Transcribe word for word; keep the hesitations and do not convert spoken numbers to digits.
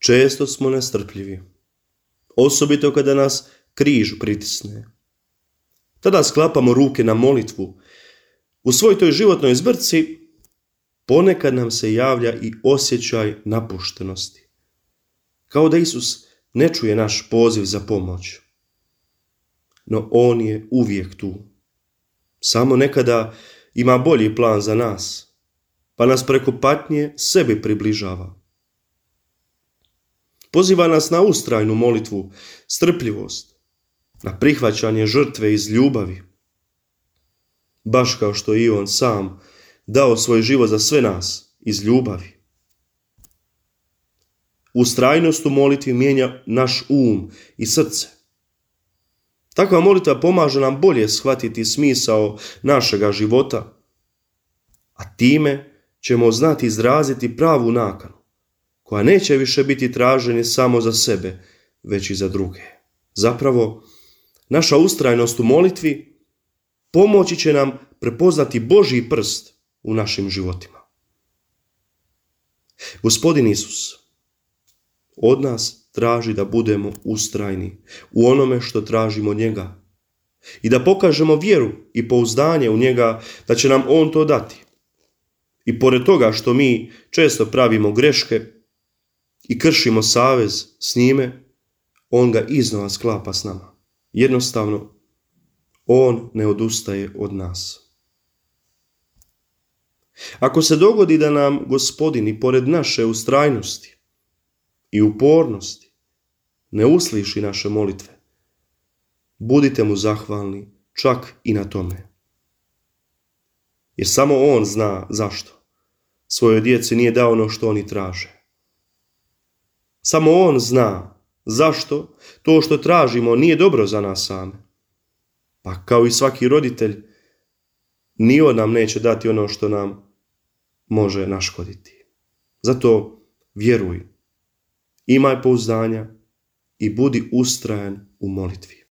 Često smo nestrpljivi, osobito kada nas križ pritisne. Tada sklapamo ruke na molitvu. U svoj toj životnoj zbrci ponekad nam se javlja i osjećaj napuštenosti. Kao da Isus ne čuje naš poziv za pomoć. No on je uvijek tu. Samo nekada ima bolji plan za nas, pa nas preko patnje sebi približava. Poziva nas na ustrajnu molitvu, strpljivost, na prihvaćanje žrtve iz ljubavi. Baš kao što je i on sam dao svoj život za sve nas iz ljubavi. Ustrajnost u molitvi mijenja naš um i srce. Takva molitva pomaže nam bolje shvatiti smisao našega života, a time ćemo znati izraziti pravu nakanu, koja neće više biti traženje samo za sebe, već i za druge. Zapravo, naša ustrajnost u molitvi pomoći će nam prepoznati Božji prst u našim životima. Gospodin Isus od nas traži da budemo ustrajni u onome što tražimo od njega i da pokažemo vjeru i pouzdanje u njega da će nam on to dati. I pored toga što mi često pravimo greške i kršimo savez s njime, on ga iznova sklapa s nama. Jednostavno, on ne odustaje od nas. Ako se dogodi da nam Gospodin i pored naše ustrajnosti i upornosti ne usliši naše molitve, budite mu zahvalni čak i na tome. Jer samo on zna zašto svojoj djeci nije dao ono što oni traže. Samo on zna zašto to što tražimo nije dobro za nas same. Pa kao i svaki roditelj, ni on nam neće dati ono što nam može naškoditi. Zato vjeruj, imaj pouzdanja i budi ustrajan u molitvi.